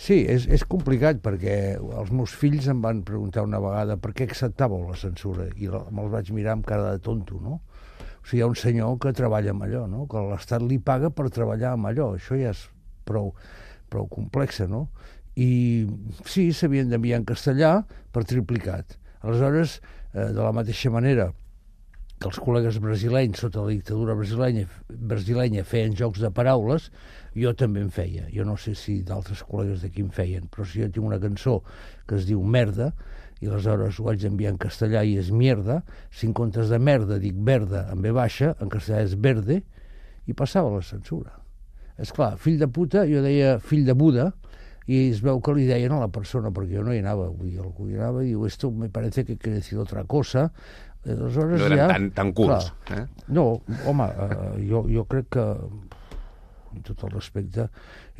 Sí, és complicat perquè els meus fills em van preguntar una vegada per què acceptàveu la censura i me'ls vaig mirar amb cara de tonto, no? O sigui, hi ha un senyor que treballa amb allò, no? Que l'Estat li paga per treballar amb allò. Això ja és prou complexa, no? I sí, s'havien d'enviar en castellà per triplicat. Aleshores, de la mateixa manera que els col·legues brasilenys sota la dictadura brasilenya feien jocs de paraules, jo també en feia. Jo no sé si d'altres col·legues d'aquí en feien, però si jo tinc una cançó que es diu Merda, i aleshores ho vaig enviar en castellà i és mierda, si en comptes de merda dic verda en ve baixa, en castellà és verde, i passava la censura. És clar, fill de puta, jo deia fill de Buda, i es veu que li deien a la persona, perquè jo no hi anava, vull dir, algú hi anava i diu, esto me parece que quiere decir otra cosa. Aleshores, no eren tan curts. No, home, jo crec que, amb tot el respecte,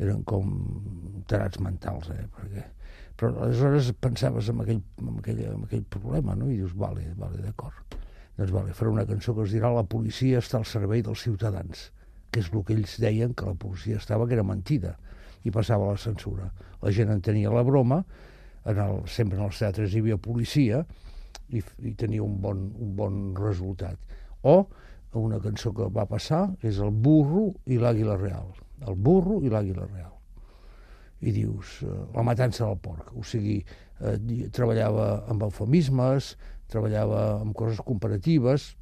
eren com tarats mentals, però aleshores pensaves en aquell problema, no? I dius, vale, d'acord. Doncs faré una cançó que es dirà La policia està al servei dels ciutadans, que és el que ells deien que la policia estava, que era mentida, i passava la censura. La gent entenia la broma, sempre en els teatres hi havia policia, i tenia un bon resultat. O una cançó que va passar és El burro i l'àguila real. El burro i l'àguila real. I dius, la matança del porc. O sigui, treballava amb eufemismes, treballava amb coses comparatives,